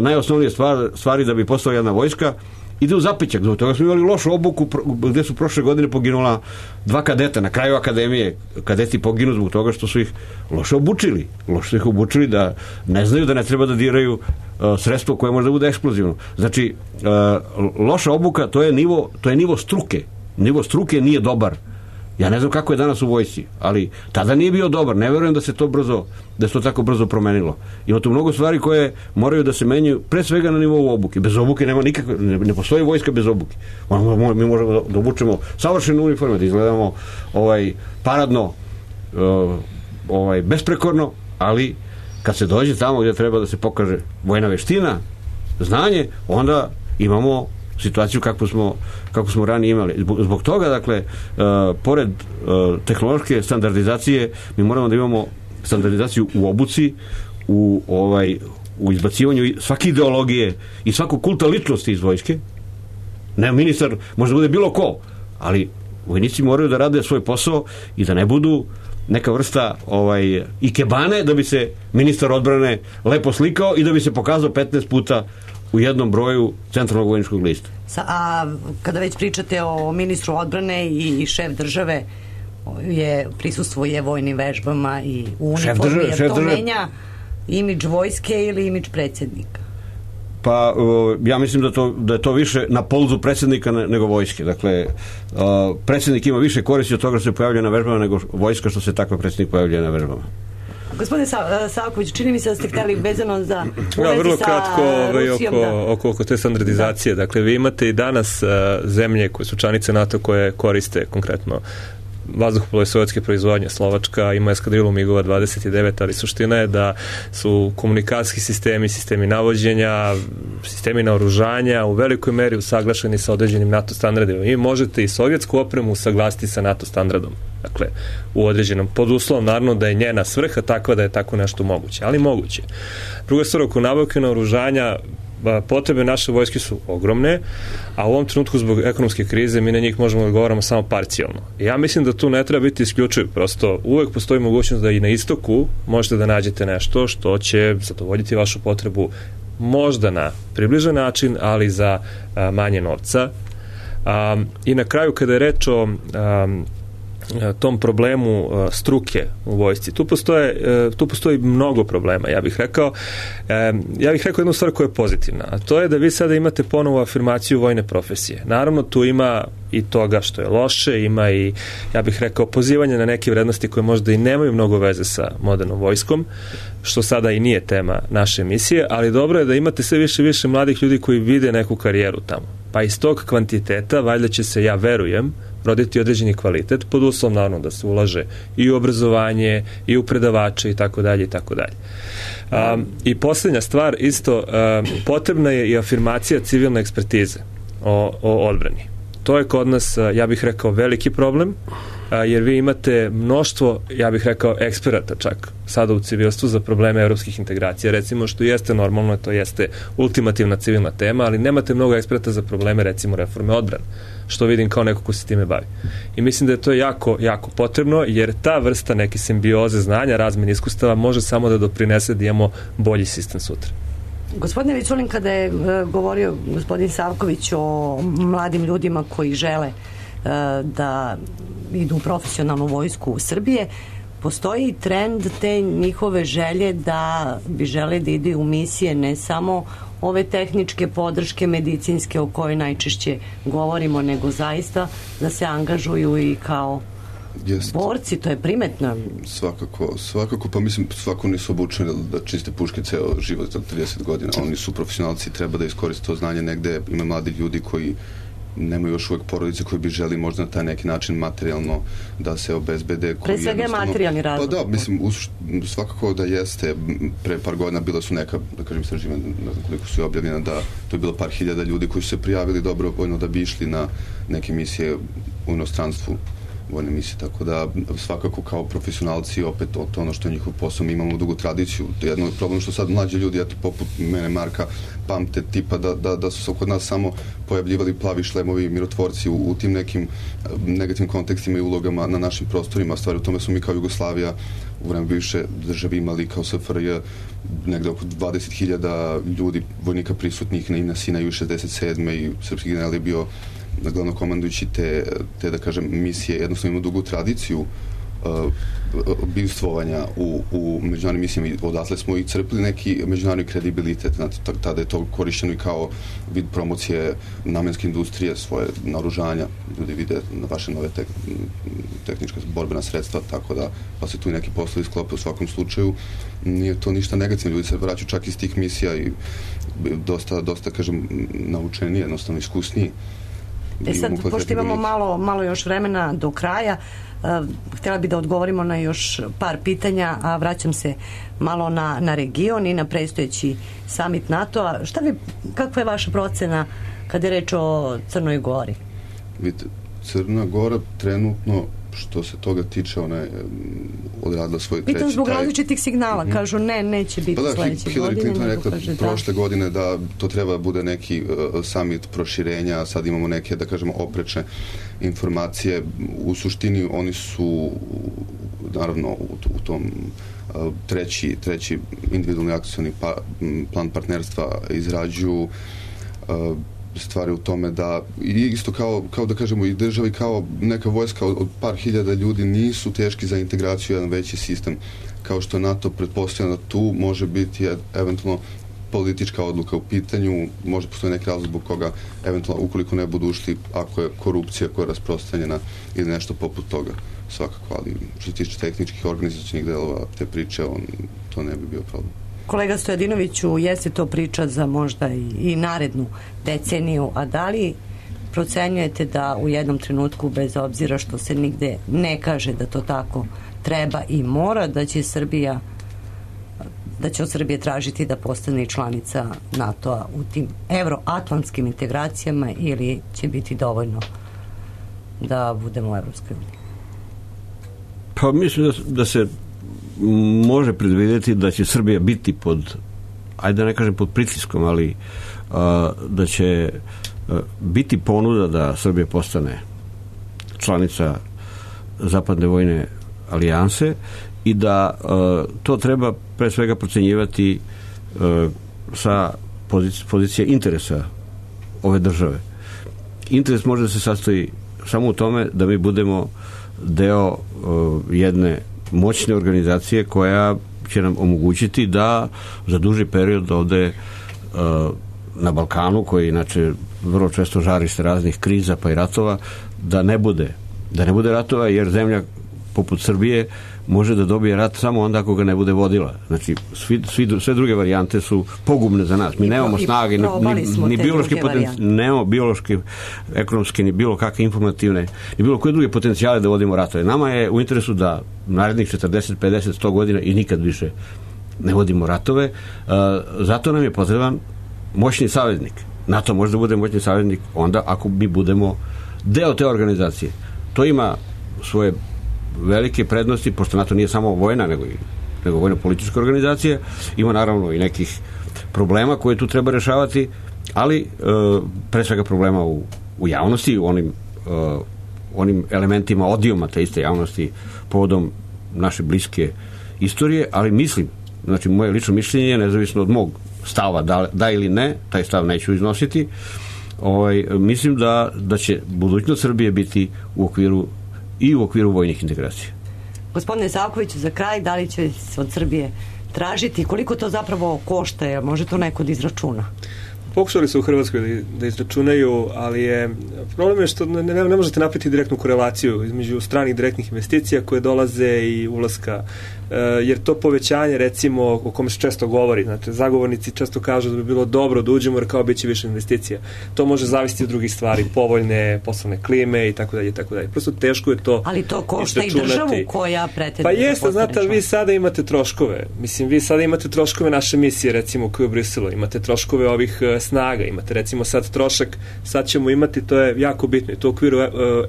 najosnovnije stvari da bi postala jedna vojska, ide u zapećak. Zbog toga smo imali lošu obuku gde su prošle godine poginula 2 kadeta na kraju akademije. Kadeti poginu zbog toga što su ih loše obučili. Loše su ih obučili da ne znaju da ne treba da diraju sredstvo koje može da bude eksplozivno. Znači, loša obuka, to je nivo struke. Nivo struke nije dobar. Ja ne znam kako je danas u vojsci, ali tada nije bio dobar. Ne verujem da se to tako brzo promenilo. Ima tu mnogo stvari koje moraju da se menjaju, pre svega na nivou obuke. Bez obuke nema nikakve, ne postoji vojska bez obuke. Mi možemo da obučemo savršene uniforme, da izgledamo paradno, besprekorno, ali kad se dođe tamo gdje treba da se pokaže vojna veština, znanje, onda imamo situaciju kako smo ranije imali. Zbog toga, dakle, pored tehnološke standardizacije, mi moramo da imamo standardizaciju u obuci, u izbacivanju svake ideologije i svakog kulta ličnosti iz vojske. Ne, ministar može da bude bilo ko, ali vojnici moraju da rade svoj posao i da ne budu neka vrsta ikebane da bi se ministar odbrane lepo slikao i da bi se pokazao 15 puta u jednom broju centralnog vojničkog lista. A kada već pričate o ministru odbrane i šef države prisustvuje vojnim vežbama i u uniformi, jer to menja imidž vojske ili imidž predsjednika? Pa ja mislim da je to više na polzu predsjednika nego vojske. Dakle, predsjednik ima više koristi od toga što se pojavlja na vežbama nego vojska što se takva predsjednik pojavlja na vežbama. Gospodine Savković, čini mi se da ste htjeli vezano za vrlo kratko oko te standardizacije. Dakle, vi imate i danas zemlje koje su članice NATO koje koriste konkretno vazduhoplove sovjetske proizvodnje. Slovačka ima eskadrilu MIG-ova 29, ali suština je da su komunikacijski sistemi navođenja, sistemi naoružanja u velikoj meri usaglašeni sa određenim NATO standardima. I možete i sovjetsku opremu usaglasiti sa NATO standardom. Dakle, u određenom, pod uslovom naravno da je njena svrha takva da je tako nešto moguće, ali moguće. Druga stvar, oko nabavke naoružanja, potrebe naše vojske su ogromne, a u ovom trenutku zbog ekonomske krize mi na njih možemo da odgovaramo samo parcijalno. Ja mislim da tu ne treba biti isključiv, prosto uvek postoji mogućnost da i na istoku možete da nađete nešto što će zadovoljiti vašu potrebu možda na približan način, ali za manje novca. I na kraju, kada je reč o tom problemu struke u vojsci. Tu postoji mnogo problema, ja bih rekao jednu stvar koja je pozitivna, a to je da vi sada imate ponovo afirmaciju vojne profesije. Naravno, tu ima i toga što je loše, ima i, ja bih rekao, pozivanje na neke vrednosti koje možda i nemaju mnogo veze sa modernom vojskom, što sada i nije tema naše emisije, ali dobro je da imate sve više i više mladih ljudi koji vide neku karijeru tamo. Pa iz tog kvantiteta, valjda će se, ja verujem, roditi određeni kvalitet, pod uslovom naravno da se ulaže i u obrazovanje, i u predavače i tako dalje i tako dalje. I posljednja stvar, isto, potrebna je i afirmacija civilne ekspertize o odbrani. To je kod nas, ja bih rekao, veliki problem, jer vi imate mnoštvo, ja bih rekao, eksperata čak sada u civilstvu za probleme evropskih integracija, recimo, što jeste normalno, to jeste ultimativna civilna tema, ali nemate mnogo eksperata za probleme, recimo, reforme odbrane, što vidim kao neko ko se time bavi. I mislim da je to jako, jako potrebno, jer ta vrsta neke simbioze znanja, razmjene iskustava može samo da doprinese da imamo bolji sistem sutra. Gospodine Viculin, kada je govorio gospodin Savković o mladim ljudima koji žele da idu u profesionalnu vojsku Srbije, postoji trend te njihove želje da bi žele da idu u misije, ne samo ove tehničke podrške medicinske o kojoj najčešće govorimo, nego zaista da se angažuju i kao borci, to je primetno. Svakako, pa mislim, svako nisu obučeni da čiste puške ceo život za 30 godina, oni su profesionalci, treba da iskoriste to znanje negde, ima mladi ljudi koji nemaju još uvek porodice koji bi želi možda na taj neki način materijalno da se obezbede. Pre svega je materijalni razlog. Pa da, mislim, svakako da jeste. Pre par godina bila su neka, da kažem, istraživanja, ne znam koliko su je objavljena, da to je bilo par hiljada ljudi koji su se prijavili dobrovoljno da bi išli na neke misije u inostranstvu, vojne misije, tako da svakako kao profesionalci opet to ono što je njihov posao, mi imamo dugu tradiciju. Jedno je problem što sad mlađi ljudi, eto poput mene, Marka, pamte tipa da su se kod nas samo pojavljivali plavi šlemovi mirotvorci u tim nekim negativnim kontekstima i ulogama na našim prostorima. Stvari u tome su mi kao Jugoslavija u vreme bivše države imali kao SFRJ negde oko 20.000 ljudi, vojnika prisutnih na Sinaju 67. i srpski general je bio glavno komandujući te da kažem misije, jednostavno ima dugu tradiciju bivstvovanja u međunarodnim misijama i odatle smo i crpili neki međunarodni kredibilitet. Znate, tada je to korišćeno i kao vid promocije namenske industrije, svoje naoružanja. Ljudi vide na vaše nove tehnička borbena sredstva, tako da pa se tu i neki poslovi sklope u svakom slučaju. Nije to ništa negativno. Ljudi se vraćaju čak iz tih misija i dosta kažem, naučeni, jednostavno iskusniji. Sad, pošto imamo malo još vremena do kraja, htjela bi da odgovorimo na još par pitanja, a vraćam se malo na region i na predstojeći summit NATO-a. Kakva je vaša procena kada je reč o Crnoj Gori? Vidite, Crna Gora trenutno što se toga tiče, ona je odradila svoj treći... Pitam zbog različitih signala, kažu neće biti sledeće godine. Hillary Clinton je rekla prošle godine da to treba bude neki summit proširenja, sad imamo neke, da kažemo, oprečne informacije. U suštini oni su, naravno, u tom treći individualni akcioni plan partnerstva izrađuju stvari u tome da isto kao da kažemo i državi kao neka vojska od par hiljada ljudi nisu teški za integraciju u jedan veći sistem kao što NATO pretpostavlja da tu može biti eventualno politička odluka u pitanju, može postoji neki razlog zbog koga eventualno ukoliko ne budu ušli ako je korupcija koja je rasprostranjena ili nešto poput toga svakako, ali što se tiče tehničkih organizacijnih delova te priče to ne bi bio problem. Kolega Stojadinoviću, jeste to priča za možda i narednu deceniju, a da li procenjujete da u jednom trenutku, bez obzira što se nigde ne kaže da to tako treba i mora, da će od Srbije tražiti da postane članica NATO-a u tim evroatlantskim integracijama ili će biti dovoljno da budemo u Evropskoj uniji? Pa mislim da se može predvidjeti da će Srbija biti ajde da ne kažem pod pritiskom, ali da će biti ponuda da Srbija postane članica Zapadne vojne alijanse i da to treba pre svega procenjivati sa pozicije interesa ove države. Interes može da se sastoji samo u tome da mi budemo deo jedne moćne organizacije koja će nam omogućiti da za duži period ovde na Balkanu, koji inače vrlo često žarište raznih kriza pa i ratova, da ne bude ratova, jer zemlja poput Srbije može da dobije rat samo onda ako ga ne bude vodila. Znači, sve druge varijante su pogubne za nas. Mi nemamo snage, ni biološke nemamo biološke, ekonomske, ni bilo kakve informativne, ni bilo koje druge potencijale da vodimo ratove. Nama je u interesu da narednih 40, 50, 100 godina i nikad više ne vodimo ratove. Zato nam je potreban moćni saveznik. NATO može da bude moćni saveznik onda ako mi budemo deo te organizacije. To ima svoje velike prednosti, pošto NATO nije samo vojna, nego vojno-politička organizacija, ima naravno i nekih problema koje tu treba rešavati, ali pre svega problema u javnosti, u onim elementima odijuma te iste javnosti povodom naše bliske istorije, ali mislim, znači moje lično mišljenje je nezavisno od mog stava, da ili ne, taj stav neću iznositi, mislim da će budućnost Srbije biti u okviru vojnih integracija. Gospodine Savkoviću, za kraj, da li će se od Srbije tražiti, koliko to zapravo košta, jer može to neko da izračuna? Pokušali su u Hrvatskoj da izračunaju, ali problem je što ne možete napraviti direktnu korelaciju između stranih direktnih investicija koje dolaze i ulaska, jer to povećanje, recimo, o kome se često govori, znači, zagovornici često kažu da bi bilo dobro da uđemo jer kao biće više investicija. To može zavisiti od drugih stvari, povoljne poslovne klime i tako dalje, i tako dalje. Prosto teško je to. Ali to košta i državu koja pretenduje. Pa jeste, znate, ali vi sada imate troškove. Mislim, vi sada imate troškove naše misije, recimo, koju u Briselu. Imate troškove ovih snaga. Imate, recimo, sad trošak, sad ćemo imati, to je jako bitno, i to u okviru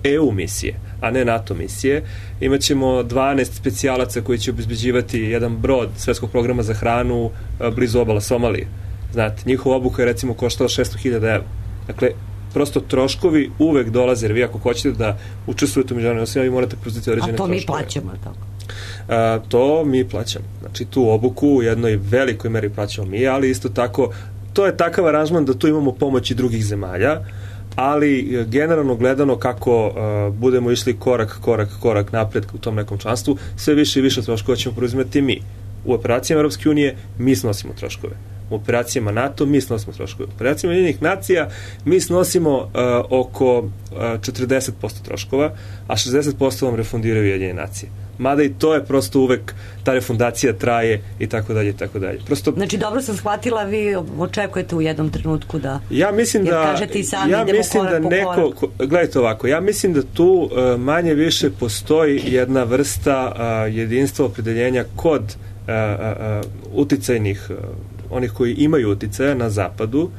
EU misije, a ne NATO misije. Imaćemo 12 specijalaca koji će obezbeđivati jedan brod svetskog programa za hranu blizu obala Somalije. Znate, njihova obuka je, recimo, koštala 600.000 evra. Dakle, prosto troškovi uvek dolaze, jer vi ako hoćete da učestvujete u međunarodnim osnovima, vi morate preuzeti određene troškove. A to mi plaćamo, tako? To mi plaćamo. Znači, tu obuku u jednoj velikoj meri plaćamo mi, ali isto tako, to je takav aranžman da tu imamo pomoći drugih zemalja, ali generalno gledano kako budemo išli korak napred u tom nekom članstvu, sve više i više troškova ćemo preuzimati mi. U operacijama Europske unije mi snosimo troškove. U operacijama NATO mi snosimo troškove. U operacijama Ujedinjenih nacija mi snosimo oko 40% troškova, a 60% vam refundiraju Ujedinjene nacije. Mada i to je prosto uvek, ta refundacija traje i tako dalje i tako dalje. Prosto, znači, dobro sam shvatila, vi očekujete u jednom trenutku da... Ja mislim da... Kažete i sami, idemo korak po korak. Gledajte ovako, ja mislim da tu manje više postoji jedna vrsta jedinstva opredeljenja kod uticajnih, onih koji imaju uticaja na zapadu,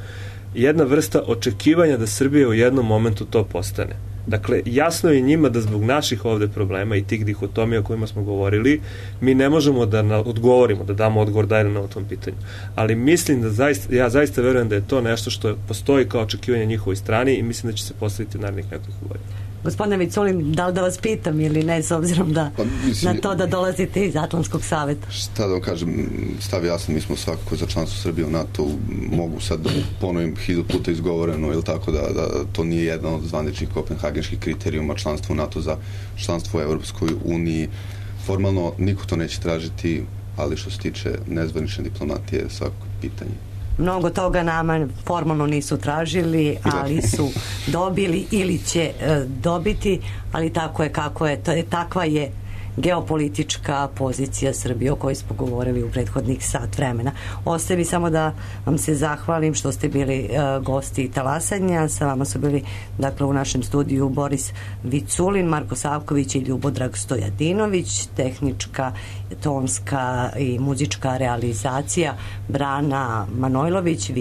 jedna vrsta očekivanja da Srbija u jednom momentu to postane. Dakle, jasno je njima da zbog naših ovde problema i tih dihotomija o kojima smo govorili, mi ne možemo da odgovorimo, da damo odgovor da na tom pitanju. Ali mislim da ja zaista verujem da je to nešto što postoji kao očekivanje njihovoj strani i mislim da će se postaviti narednih nekoliko godina. Gospodine Viculin, da li da vas pitam ili ne, s obzirom da na to da dolazite iz Atlantskog saveta? Šta da vam kažem, stav jasan, mi smo svakako za članstvo Srbije u NATO, mogu sad da ponovim 1000 puta izgovoreno, ili tako da to nije jedan od zvaničnih kopenhagenških kriterijuma članstva u NATO za članstvo u Evropskoj uniji. Formalno niko to neće tražiti, ali što se tiče nezvanične diplomatije, svako pitanje. Mnogo toga nama formalno nisu tražili, ali su dobili ili će dobiti, ali tako je kako je. Takva je geopolitička pozicija Srbije o kojoj smo govorili u prethodnih sat vremena. Ostaje mi samo da vam se zahvalim što ste bili gosti Talasanja. Sa vama su bili, dakle, u našem studiju Boris Viculin, Marko Savković i Ljubodrag Stojadinović, tehnička, tonska i muzička realizacija Brana Manojlović,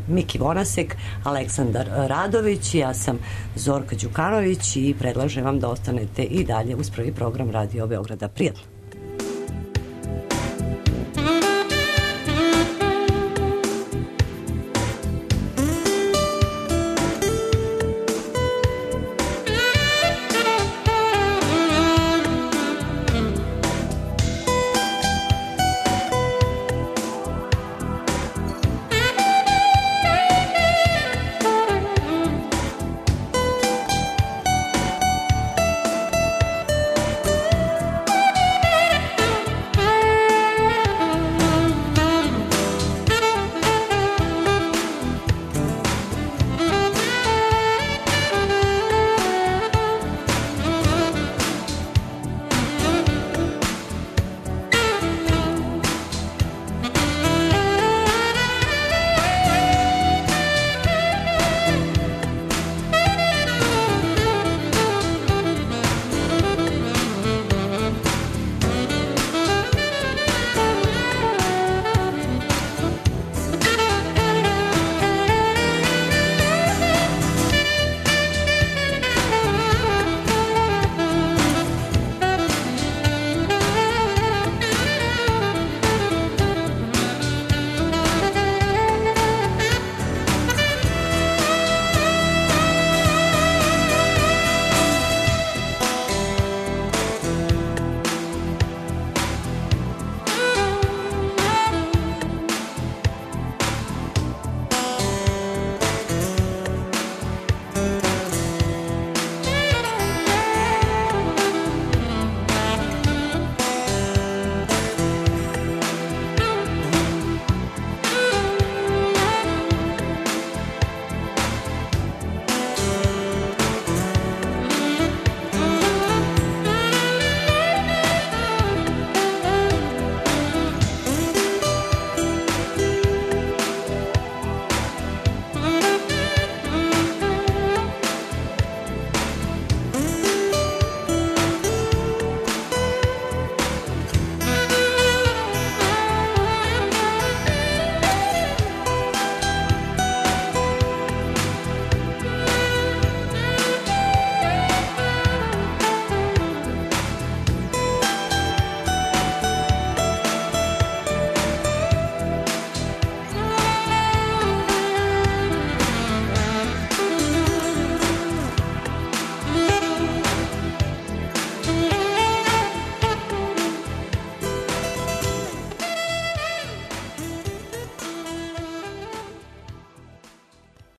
Miki Vonasek, Aleksandar Radović, ja sam Zorka Đukanović i predlažem vam da ostanete i dalje uz prvi program Radio Beograda. Prijatno.